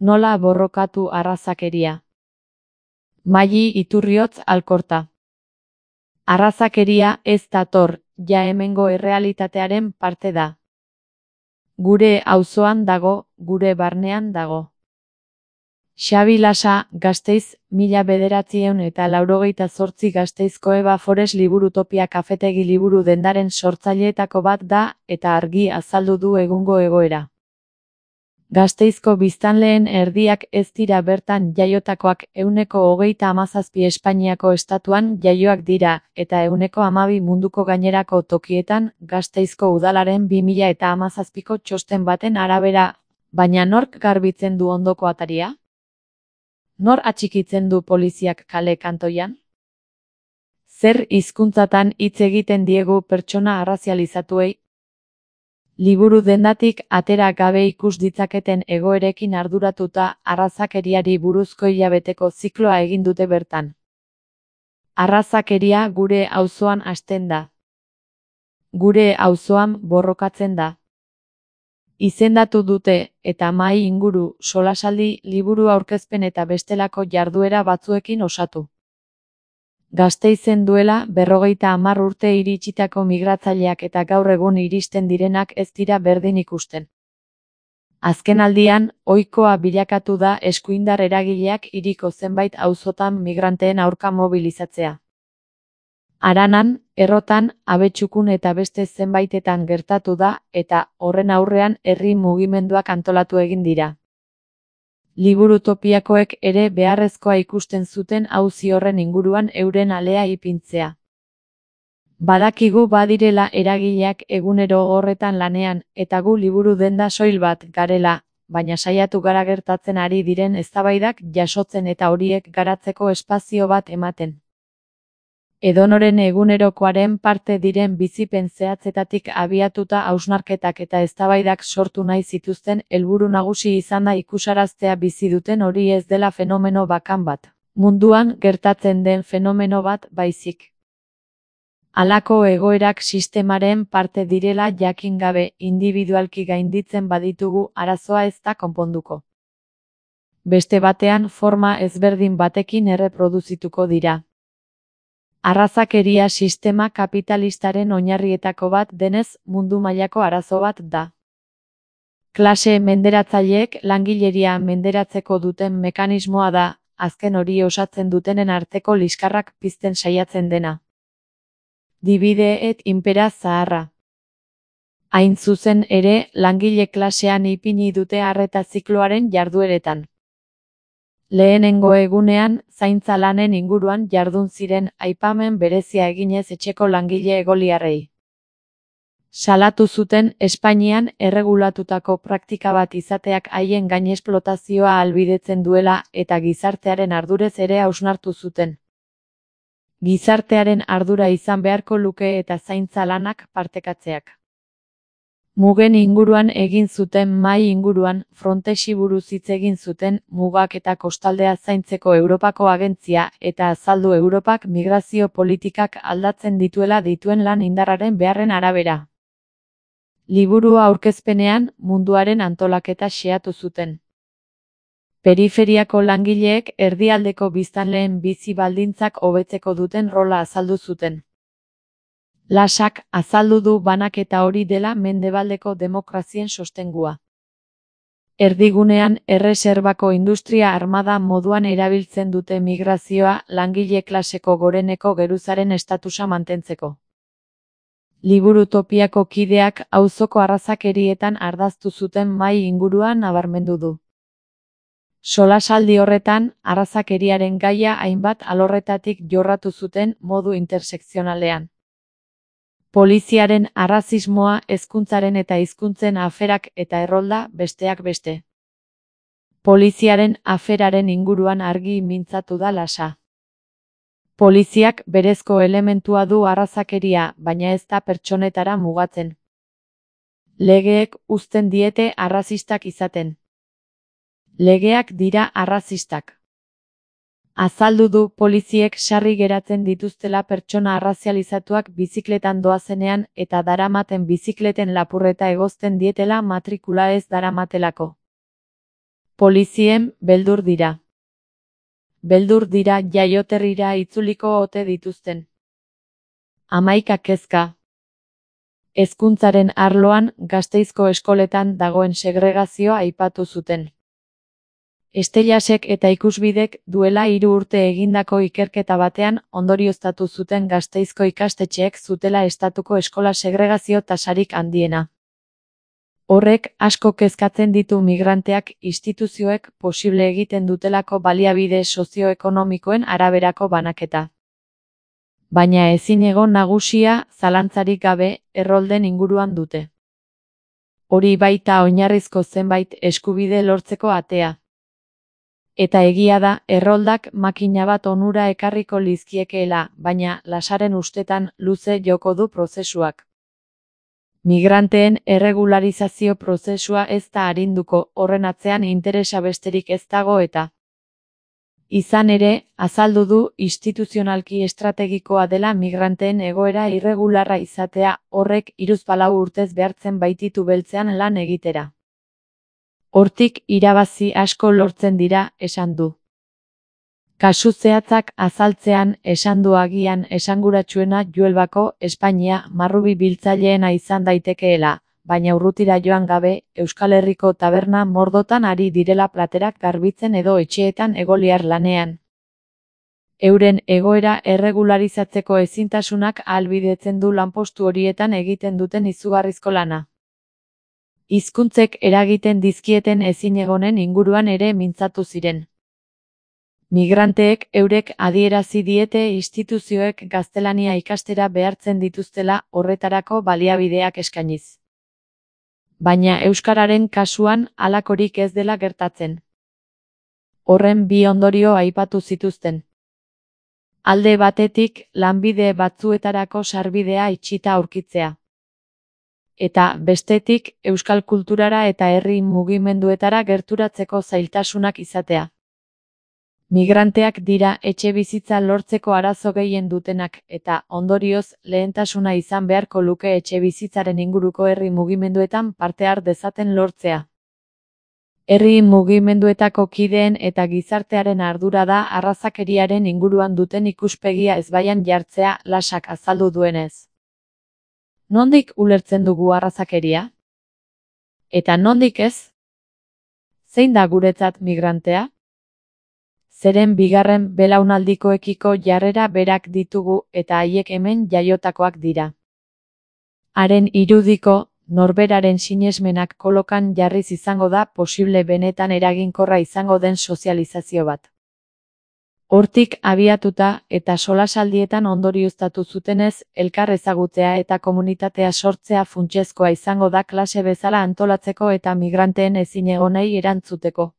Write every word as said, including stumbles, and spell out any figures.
Nola borrokatu arrazakeria. Maili Iturriotz Alkorta. Arrazakeria ez dator, ja hemengo errealitatearen parte da. Gure auzoan dago, gure barnean dago. Xabi Lasa, Gasteiz, mila bederatziehun eta laurogeita zortzi Gasteizko Eba Forest Liburutopia kafetegi liburu dendaren sortzaileetako bat da, eta argi azaldu du egungo egoera. Gasteizko biztanleen erdiak ez dira bertan jaiotakoak, ehuneko hogeita hamazazpi Espainiako estatuan jaioak dira, eta ehuneko hamabi munduko gainerako tokietan, Gasteizko udalaren bi mila eta hamazazpiko txosten baten arabera, baina nork garbitzen du ondoko ataria? Nor atxikitzen du poliziak kale kantoian? Zer hizkuntzatan hitz egiten diegu pertsona arrazializatuei? Liburu dendatik atera gabe ikus ditzaketen egoerekin arduratuta arrazakeriari buruzko hilabeteko zikloa egin dute bertan. Arrazakeria gure auzoan hasten da. Gure auzoan borrokatzen da. Izendatu dute, eta mahai inguru, solasaldi, liburu aurkezpen eta bestelako jarduera batzuekin osatu. Gasteizen duela berrogeita hamar urte iritsitako migratzaileak eta gaur egun iristen direnak ez dira berdin ikusten. Azkenaldian, ohikoa bilakatu da eskuindar eragileak hiriko zenbait auzotan migranteen aurka mobilizatzea. Aranan, Errotan, Abetxukun eta beste zenbaitetan gertatu da, eta horren aurrean herri mugimenduak antolatu egin dira. Liburutopiakoek ere beharrezkoa ikusten zuten auzi horren inguruan euren alea ipintzea. Badakigu badirela eragileak egunero horretan lanean, eta gu liburu denda soil bat garela, baina saiatu gara gertatzen ari diren eztabaidak jasotzen eta horiek garatzeko espazio bat ematen. Edonoren egunerokoaren parte diren bizipen zehatzetatik abiatuta hausnarketak eta eztabaidak sortu nahi zituzten helburu nagusi izan da ikusaraztea bizi duten hori ez dela fenomeno bakan bat, munduan gertatzen den fenomeno bat baizik. Halako egoerak sistemaren parte direla jakin gabe indibidualki gainditzen baditugu arazoa ez da konponduko. Beste batean forma ezberdin batekin erreproduzituko dira. Arrazakeria sistema kapitalistaren oinarrietako bat denez mundu mailako arazo bat da. Klase menderatzaileek langileria menderatzeko duten mekanismoa da, azken hori osatzen dutenen arteko liskarrak pizten saiatzen dena. Divide et impera zaharra. Hain zuzen ere, langile klasean ipini dute arreta zikloaren jardueretan. Lehenengo egunean, zaintza lanen inguruan jardun ziren aipamen berezia eginez etxeko langile egoliarrei. Salatu zuten Espainian erregulatutako praktika bat izateak haien gainexplotazioa ahalbidetzen duela eta gizartearen ardurez ere hausnartu zuten. Gizartearen ardura izan beharko luke eta zaintza lanak partekatzeak. Mugen inguruan egin zuten mahai inguruan, Frontexi buruz hitz egin zuten, mugak eta kostaldea zaintzeko Europako agentzia eta azaldu Europak migrazio politikak aldatzen dituela dituen lan indarraren beharren arabera. Liburua aurkezpenean, munduaren antolaketa xehatu zuten. Periferiako langileek erdialdeko biztanleen bizi baldintzak hobetzeko duten rola azaldu zuten. Lasak azaldu du banaketa hori dela mendebaldeko demokrazien sostengua. Erdigunean erreserbako industria armada moduan erabiltzen dute migrazioa langile klaseko goreneko geruzaren estatusa mantentzeko. Liburutopiako kideak auzoko arrazakerietan ardaztu zuten mahai inguruan nabarmendu du. Solasaldi horretan, arrazakeriaren gaia hainbat alorretatik jorratu zuten modu intersekzionalean. Poliziaren arrazismoa, hezkuntzaren eta hizkuntzen aferak eta errolda besteak beste. Poliziaren aferaren inguruan argi mintzatu da Lasa. Poliziak berezko elementua du arrazakeria, baina ez da pertsonetara mugatzen. Legeek uzten diete arrazistak izaten. Legeak dira arrazistak. Azaldu du poliziek sarri geratzen dituztela pertsona arrazializatuak bizikletan doazenean eta daramaten bizikleten lapurreta egozten dietela matrikula ez daramatelako. Polizien beldur dira. Beldur dira jaioterrira itzuliko ote dituzten. Hamaika kezka. Hezkuntzaren arloan Gasteizko eskoletan dagoen segregazioa aipatu zuten. Estelasek eta Ikusbidek duela hiru urte egindako ikerketa batean ondorioztatu zuten Gasteizko ikastetxeek zutela estatuko eskola segregazio tasarik handiena. Horrek asko kezkatzen ditu migranteak instituzioek posible egiten dutelako baliabide sozioekonomikoen araberako banaketa. Baina ezinegon nagusia zalantzarik gabe errolden inguruan dute. Hori baita oinarrizko zenbait eskubide lortzeko atea. Eta egia da erroldak makina bat onura ekarriko lizkiekeela, baina Lasaren ustetan luze joko du prozesuak. Migranteen erregularizazio prozesua ez da arinduko, horren atzean interesa besterik ez dago eta. Izan ere, azaldu du instituzionalki estrategikoa dela migranteen egoera irregularra izatea, horrek hiruzpalau urtez behartzen baititu beltzean lan egitera. Hortik irabazi asko lortzen dira, esan du. Kasu zehatzak azaltzean esan du agian esanguratsuena Juelbako Espainia marrubi biltzaileena izan daitekeela, baina urrutira joan gabe, Euskal Herriko taberna mordotan ari direla platerak garbitzen edo etxeetan egoliar lanean. Euren egoera erregularizatzeko ezintasunak ahalbidetzen du lanpostu horietan egiten duten izugarrizko lana. Hizkuntzek eragiten dizkieten ezinegonen inguruan ere mintzatu ziren. Migranteek eurek adierazi diete instituzioek gaztelania ikastera behartzen dituztela horretarako baliabideak eskainiz. Baina euskararen kasuan halakorik ez dela gertatzen. Horren bi ondorio aipatu zituzten. Alde batetik, lanbide batzuetarako sarbidea itxita aurkitzea. Eta, bestetik, euskal kulturara eta herri mugimenduetara gerturatzeko zailtasunak izatea. Migranteak dira etxe bizitza lortzeko arazo gehien dutenak, eta, ondorioz, lehentasuna izan beharko luke etxe bizitzaren inguruko herri mugimenduetan parte har dezaten lortzea. Herri mugimenduetako kideen eta gizartearen ardura da arrazakeriaren inguruan duten ikuspegia ezbaian jartzea, Lasak azaldu duenez. Nondik ulertzen dugu arrazakeria? Eta nondik ez? Zein da guretzat migrantea? Zeren bigarren belaunaldikoekiko jarrera berak ditugu eta haiek hemen jaiotakoak dira. Haren irudiko, norberaren sinesmenak kolokan jarriz izango da posible benetan eraginkorra izango den sozializazio bat. Hortik abiatuta eta solasaldietan ondorioztatu zutenez, elkar ezagutzea eta komunitatea sortzea funtsezkoa izango da klase bezala antolatzeko eta migranteen ezinegonei erantzuteko.